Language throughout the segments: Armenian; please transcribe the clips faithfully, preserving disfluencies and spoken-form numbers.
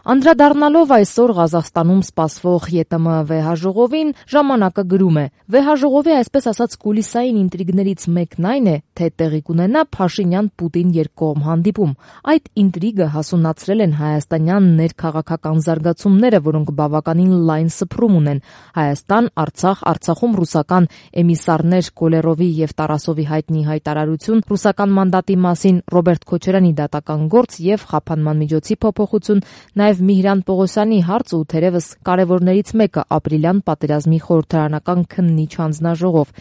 Անդրադառնալով այսօր Ղազախստանում սպասվող ԵՏՄ վեհաժողովին, ժամանակը գրում է. վեհաժողովի այսպես ասած կուլիսային ինտրիգներից մեկն այն է, թե տեղի կունենա Փաշինյան-Պուտին երկկողմ հանդիպում։ Այդ ինտրիգը հասունացրել են հայաստանյան ներքաղաքական զարգացումները, որոնք բավականին լայն սփռում ունեն։ Հայաստան, Արցախ, Արցախում ռուսական էմիսարներ Կոլերովի եւ Տարասովի հայտնի հայտարարություն, ռուսական մանդատի մասին Ռոբերտ Քոչարյանի դատական գործ եւ խափանման միջոցի փոփոխություն, նաեւ Միհրան Պողոսյանի հարցը ու թերևս կարևորներից մեկը ապրիլյան պատերազմի խորհրդարանական քննիչ հանձնաժողով։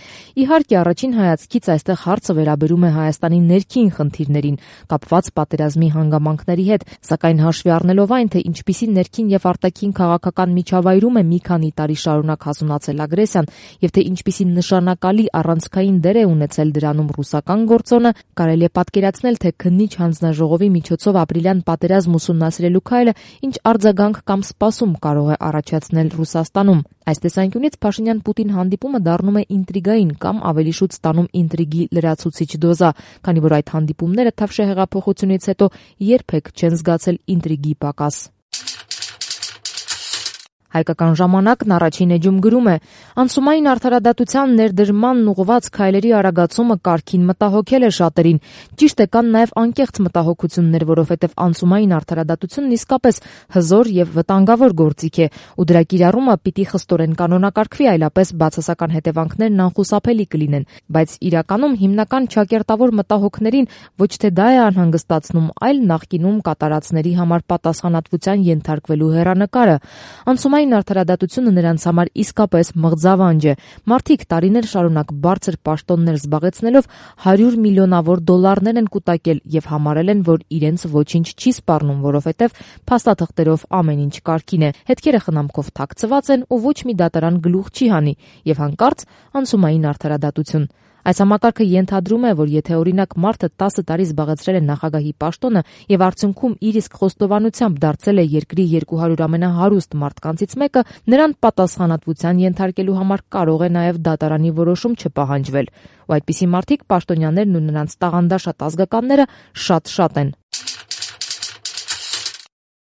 Իհարկե, առաջին հայացքից այստեղ հարցը վերաբերում է Հայաստանի ներքին խնդիրներին, կապված պատերազմի հանգամանքների հետ, սակայն հաշվի առնելով այն, թե ինչպիսի ներքին եւ արտաքին քաղաքական միջավայրում է մի քանի տարի շարունակ հասունացել ագրեսիան եւ թե ինչպիսի նշանակալի առանցքային դեր է ունեցել դրանում ռուսական գործոնը, կարելի է պատկերացնել, թե քննիչ հանձնաժողովի միջոցով ապրիլյան պատերազմ ուսումնասիրելու քայլը ինչ արձագանք կամ սպասում կարող է առաջացնել Ռուսաստանում։ Այս տեսանկյունից Փաշինյան-Պուտին հանդիպումը դառնում է ինտրիգային կամ ավելի շուտ ստանում ինտրիգի լրացուցիչ դոզա, քանի որ այդ հանդիպումները Թավշյա հեղափոխությունից հետո երբեք չեն զգացել ինտրիգի պակաս։ Հայկական ժամանակն առաջին էջում գրում է. անցումային արդարադատության ներդրմանն ուղղված քայլերի արագացումը կարգին մտահոգել է շատերին։ Ճիշտ է, կան նաև անկեղծ մտահոգություններ, որովհետև անցումային արդարադատությունն իսկապես հզոր եւ վտանգավոր գործիք է, ու դրա կիրառումը պիտի խստորեն կանոնակարգվի, այլապես բացասական հետևանքներն անխուսափելի կլինեն։ Բայց իրականում հիմնական ճակերտավոր մտահոգներին ոչ թե դա է անհանգստացնում, այլ նախկինում կատարածների համար պատասխանատվության ենթարկվելու հեռանկարը։ Անցումային արդարադատությունը նրանց համար իսկապես մղձավանջ է։ Մարդիկ տարիներ շարունակ բարձր պաշտոններ զբաղեցնելով հարյուր միլիոնավոր դոլարներ են կուտակել եւ համարել են, որ իրենց ոչինչ չի սպառնում, որովհետեւ փաստաթղթերով ամեն ինչ կարգին է, հետքերը խնամքով թաքցված են ու ոչ մի դատարան գլուխ չի հանի, եւ հանկարծ անցումային արդարադատություն։ Այս համակարգը ենթադրում է, որ եթե օրինակ մարդը տասը տարի զբաղեցրել է նախագահի պաշտոնը եւ արդյունքում իր իսկ խոստովանությամբ դարձել է երկրի երկու հարյուր ամենահարուստ մարդկանցից մեկը, նրան պատասխանատվության ենթարկելու համար կարող է նաեւ դատարանի որոշում չպահանջվել։ Ու այդպիսի մարդիկ, պաշտոնյաներն ու նրանց տաղանդաշատ ազգականները շատ-շատ են։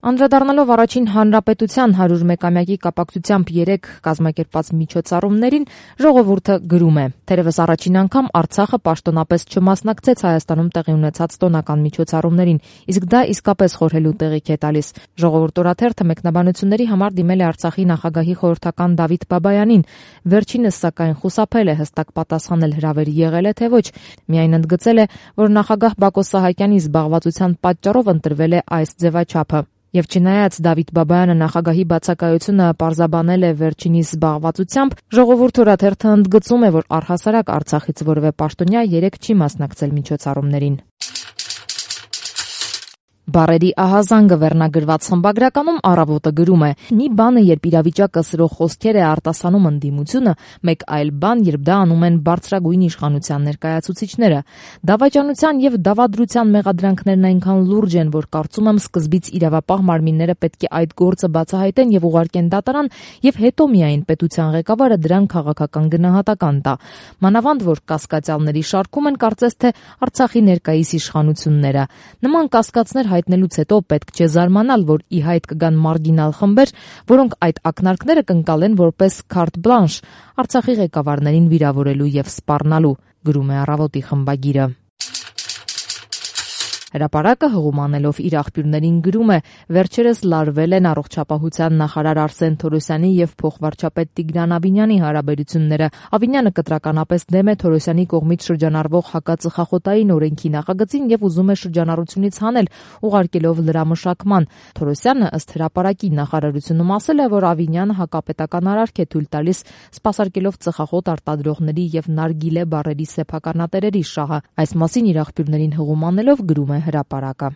Անդրադառնալով առաջին հանրապետության հարյուրմեկամյակի կապակցությամբ երեք կազմակերպված միջոցառումներին, ժողովուրդը գրում է. թերևս առաջին անգամ Արցախը պաշտոնապես չմասնակցեց Հայաստանում տեղի ունեցած տոնական միջոցառումներին, իսկ դա իսկապես խորհելու տեղիք է տալիս։ Ժողովուրդ օրաթերթը մեկնաբանությունների համար դիմել է Արցախի նախագահի խորհրդական Դավիթ Բաբայանին, վերջինս սակայն խուսափել է հստակ պատասխանել հրավերի եղել է թե ոչ, միայն ընդգծել է, որ նախագահ Բակո Սահակյանի զբաղվածության պատճառով ընտրվել է այս ձևաչափը։ Եվ չնայած Դավիթ Բաբայանը նախագահի բացակայությունը պարզաբանել է վերջինիս զբաղվածությամբ, ժողովուրդ օրաթերթը ընդգծում է, որ առհասարակ Արցախից որևէ պաշտոնյա երեկ չի մասնակցել միջոցառումներին։ Բառերի ահազանգը վերնագրված խմբագրականում Առավոտը գրում է. մի բան է, երբ իրավիճակը սրող խոսքեր է արտասանում ընդդիմությունը, մեկ այլ բան, երբ դա անում են բարձրագույն իշխանության ներկայացուցիչները։ Դավաճանության եւ դավադրության մեղադրանքներն այնքան լուրջ են, որ կարծում եմ սկզբից իրավապահ մարմինները պետք է այդ գործը բացահայտեն եւ ուղարկեն դատարան, եւ հետո միայն պետության ղեկավարը դրան քաղաքական գնահատական տա։ Մանավանդ որ կասկածյալների շարքում են կարծես թե Արցախի ներկայիս իշխանությունները։ Նման կասկածներ հայտնելուց հետո պետք չէ զարմանալ, որ ի հայտ կգան մարգինալ խմբեր, որոնք այդ ակնարկները կընկալեն որպես քարտ բլանշ Արցախի ղեկավարներին վիրավորելու եւ սպառնալու, գրում է Առավոտի խմբագիրը։ Հրապարակը հղումանելով իր աղբյուրներին գրում է. վերջերս լարվել են առողջապահության նախարար Արսեն Թորոսյանի եւ փոխվարչապետ Տիգրան Ավինյանի հարաբերությունները։ Ավինյանը կտրականապես դեմ է Թորոսյանի կողմից շրջանառվող հակածխախոտային օրենքի նախագծին եւ ուզում է շրջանառությունից հանել, ուղարկելով լրամշակման։ Թորոսյանը ըստ հրապարակի նախարարությունում ասել է, որ Ավինյանը հակապետական արարք է թույլ տալիս, սպասարկելով ծխախոտ արտադրողների եւ նարգիլե բարերի սեփականատերերի շահը։ Այս մասին իր աղբյուրներին հղումանելով գրում է Հրապարակը։